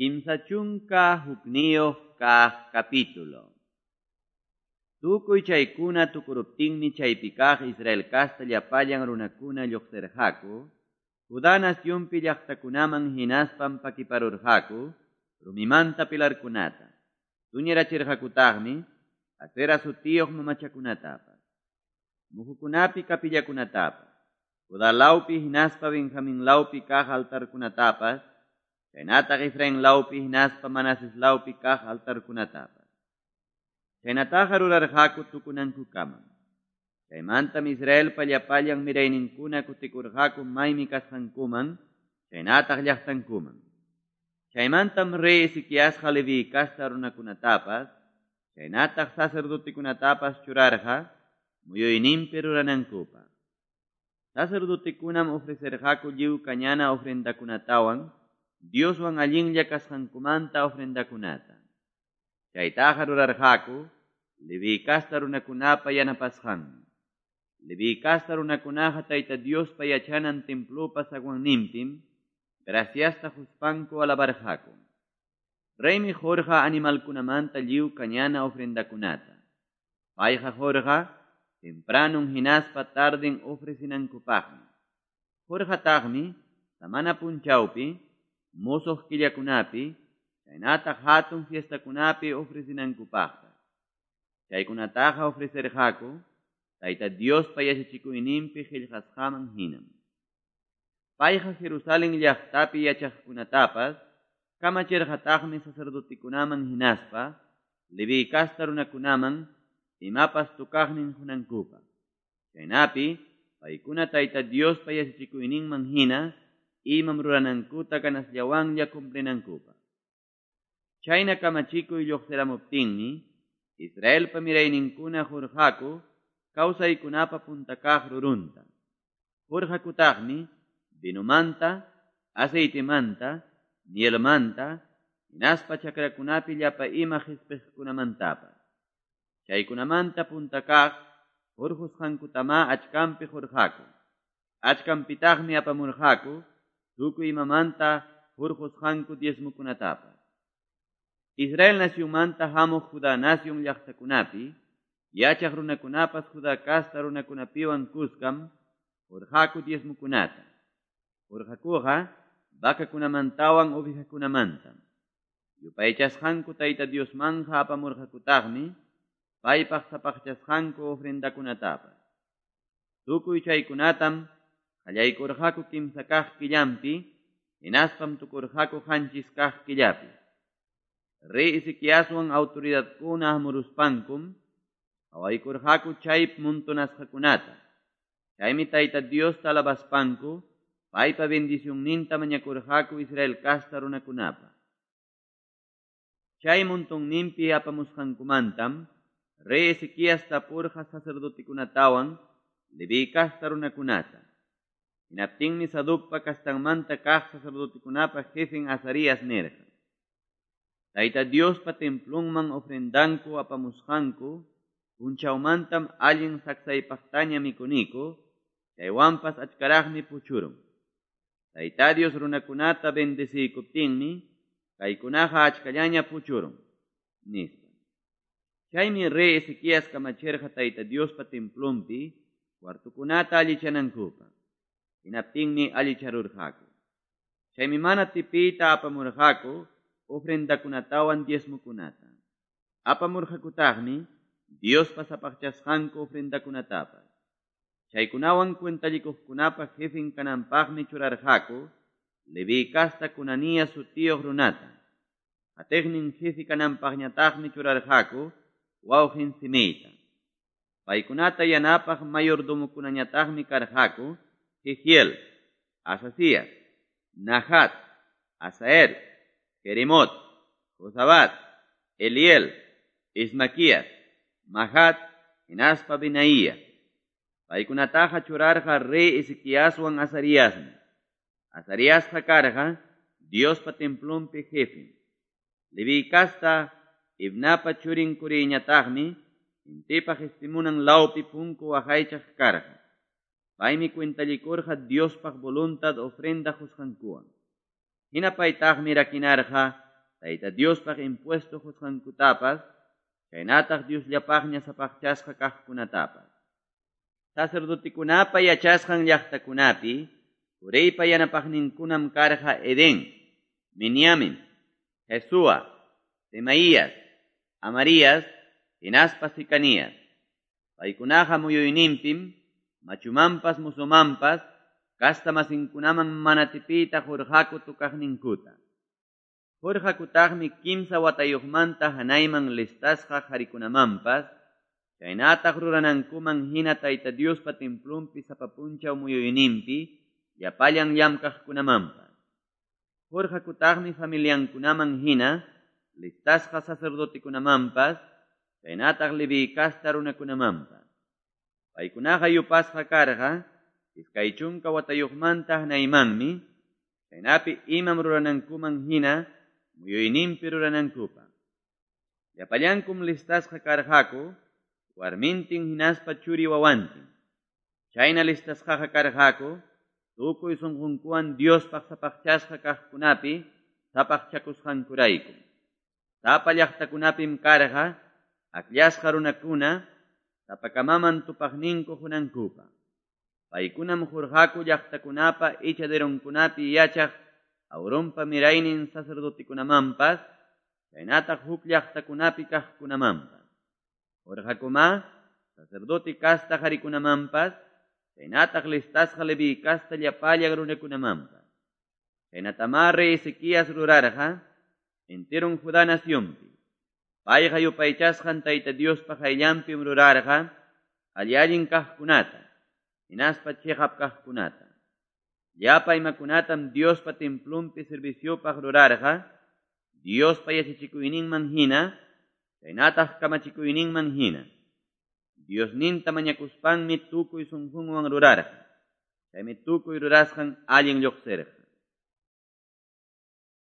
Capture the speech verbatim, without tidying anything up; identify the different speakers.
Speaker 1: Kimsa chunka hukniyuq kaq capítulo. Tukuy chaykuna tukuruptinmi chaypi kaq Israel kasta llapallan runakuna lluqsirqaku, Judá nacionpi llaqtakunaman hinaspam pakiparurqaku rumimanta pilarkunata, tuñirachirqakutaqmi Asera sutiyuq mamachakunatapas, muhukunapi kapillakunatapas, Judá lawpi hinaspa Benjamín lawpi kaq altarkunatapas, chaynataq Efraín lawpi hinaspa Manases lawpi kaq altarkunatapas. Chaynataqa rurarqaku tukunankukamam. Chaymantam Israelpa llapallan mirayninkuna kutikurqaku maymi kasqankuman, chaynataq llaqtankuman. Chaymantam rey Ezequiasqa Leví kasta runakunatapas, chaynataq sacerdotekunatapas churarqa muyuyninpi ruranankupaq. Sacerdotekunam ofrecerqaku lliw kañana ofrendakunatawan, Dioswan allinlla kasqankumanta ofrendakunata. Chaytaqa rurarqaku Leví kasta runakunapa yanapasqanmi. Leví kasta runakunaqa Tayta Diospa yachanan templopa zaguanninpim graciasta quspanku alabarqaku. Reymi qurqa animalkunamanta lliw kañana ofrendakunata. Payqa qurqa tempranun hinaspa tarden ofrecinankupaqmi. Qurqataqmi samana punchawpi, musuq killakunapi, chaynataq hatun fiestakunapi ofrecinankupaqpas. Chaykunataqa ofrecerqaku Tayta Diospa yachachikuyninpi qillqasqaman hinam. Payqa Jerusalén llaqtapi yachaqkunatapas kamachirqataqmi sacerdotekunaman hinaspa Leví kasta runakunaman imapas tukaqnin qunankupaq. Chaynapi paykuna Tayta Diospa yachachikuyninman hina imam ruranankuta ganasllawanlla cumplinankupaq. Chayna kamachikuy lluqsiramuptinmi Israelpa mirayninkuna qurqaku kawsaykunapa punta kaq rurunta. Qurqakutaqmi vinomanta, aceitemanta, mielmanta, hinaspa chakrakunapi llapa ima qispiqkunamantapas. Chaykunamanta punta kaq hurqusqankutamá achkanpi qurqaku. Achkanpitaqmi apamurqaku tukuy imamanta hurqusqanku diezmokunatapas. Israel nacionmanta hamuq Judá nación llaqtakunapi, yachaq runakunapas Judá kasta runakunapiwan kuskam hurqaku diezmokunata. Hurqakuqa vacakunamantawan ovejakunamantam. Yupaychasqanku Tayta Diosmanja apamurqakutaqmi paypaq sapaqchasqanku ofrendakunatapas. Tukuy chaykunatam qallaykurqaku kimsa kaq killanpi, hinaspam tukurqaku qanchis kaq killapi. Rey Ezequiaswan autoridadkuna hamuruspankum qawaykurqaku chay montonasqakunata. Chaymi Tayta Diosta alabaspanku paypa bendicionninta mañakurqaku Israel kasta runakunapa. Chay montonninpi apamusqankumantam rey Ezequías tapurqa sacerdotekunatawan Leví kasta runakunata. Hinaptinmi Sadocpa kastanmanta kaq sacerdotekunapa jefen Azarías nirqa: Tayta Diospa templonman ofrendanku apamusqanku punchawmantam allin saksaypaqtaña mikuniku, chaywanpas achkaraqmi puchurun. Tayta Dios runakunata bendeciykuptinmi kaykunaqa achkallaña puchurun, nispa. Chaymi rey Ezequías kamachirqa Tayta Diospa templonpi cuartokunata allichanankupaq. Hinaptinmi allicharurqaku. Chaymi mana tipiyta apamurqaku ofrendakunatawan diezmokunata. Apamurqakutaqmi Diospa sapaqchasqanku ofrendakunatapas. Chaykunawan cuentallikuqkunapa jefen kananpaqmi churarqaku Leví kasta Cunanías sutiyuq runata. Qatiqnin jefe kananpaqñataqmi churarqaku wawqin Simeita. Paykunata yanapaq mayordomokunañataqmi karqaku Jehiel, Asasías, Nahat, Asael, Jerimot, Josabat, Eliel, Ismaquías, Mahat, hinaspa Benaía. Paykunataqa churarqa rey Ezequiaswan Azariasmi. Azariasqa karqa Diospa templonpi jefe. Leví kasta Ibnapa churin Curiñataqmi intipa qispimunan lawpi punku waqaychaq karqa. Paymi cuentallikurqa Diospaq voluntad ofrenda qusqankuwan. Hina paytaqmi rakinarqa Tayta Diospaq impuesto qusqankutapas, chaynataq Diosllapaqña sapaqchasqa kaqkunatapas. Sacerdotekunapa yachasqan llaqtakunapi Coreypa yanapaqninkunam karqa Edén, Miniamin, Jesúa, Semaías, Amarías, hinaspa Secanías. Paykunaqa muyuyninpim, machumanpas mozomanpas, castamasinkunaman mana tipiyta qurqaku tocaqninkuta. Qurqakutaqmi kimsa watayuqmanta hanayman listasqa qarikunamanpas, chaynataq ruranankuman hina Tayta Diospa templonpi sapa punchaw muyuyninpi, llapallan llamkaqkunamanpas. Qurqakutaqmi familiankunaman hina, listasqa sacerdotekunamanpas, chaynataq Leví casta runakunamanpas. Paykunaqa yupasqa karqa, iskay chunka watayuqmanta hanaymanmi, chaynapi imam ruranankuman hina, muyuyninpi ruranankupaq. Llapallankum listasqa karqaku, warmintin hinaspa churi wawantin. Chayna listasqaqa karqaku, tukuy sunqunkuwan Diospaq sapaqchasqa kaqkunapi sapaqchakusqankurayku. Sapa llaqtakunapim karqa, akllasqa runakuna, sapakamaman tupaqninku qunankupaq. Paykunam qurqaku llaqtakunapa echaderonkunapi yachaq Aaronpa miraynin sacerdotekunamanpas, chaynataq huk llaqtakunapi kaqkunamanpas. Qurqakuma sacerdote casta qarikunamanpas, chaynataq listasqa Leví casta llapallan runakunamanpas. Chaynatamá rey Ezequías rurarqa enteron Judá nacionpi. Payqa yupaychasqan Tayta Diospa qayllanpim rurarqa alli-allin kaqkunata, hinaspa chiqap kaqkunata. Llapa imakunatam Diospa templonpi serviciopaq rurarqa, Diospa yachachikuyninman hina, chaynataq kamachikuyninman hina. Diosninta mañakuspanmi tukuy sunqunwan rurarqa. Chaymi tukuy rurasqan allin lluqsirqa.